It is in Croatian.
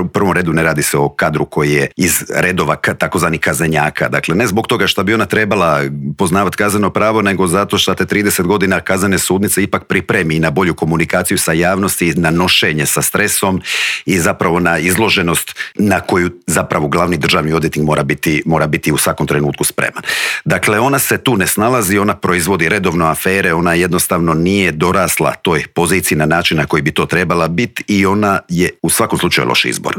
U prvom redu ne radi se o kadru koji je iz redova takozvani kaznenjaka. Dakle, ne zbog toga što bi ona trebala poznavati kazneno pravo, nego zato što te 30 godina kaznene sudnice ipak pripremi na bolju komunikaciju sa javnosti, na nošenje sa stresom i zapravo na izloženost na koju zapravo glavni državni odvjetnik mora biti u svakom trenutku spreman. Dakle, ona se tu ne snalazi, ona proizvodi redovno afere, ona jednostavno nije dorasla toj poziciji na način na koji bi to trebala biti i ona je u svakom slučaju loš izbor.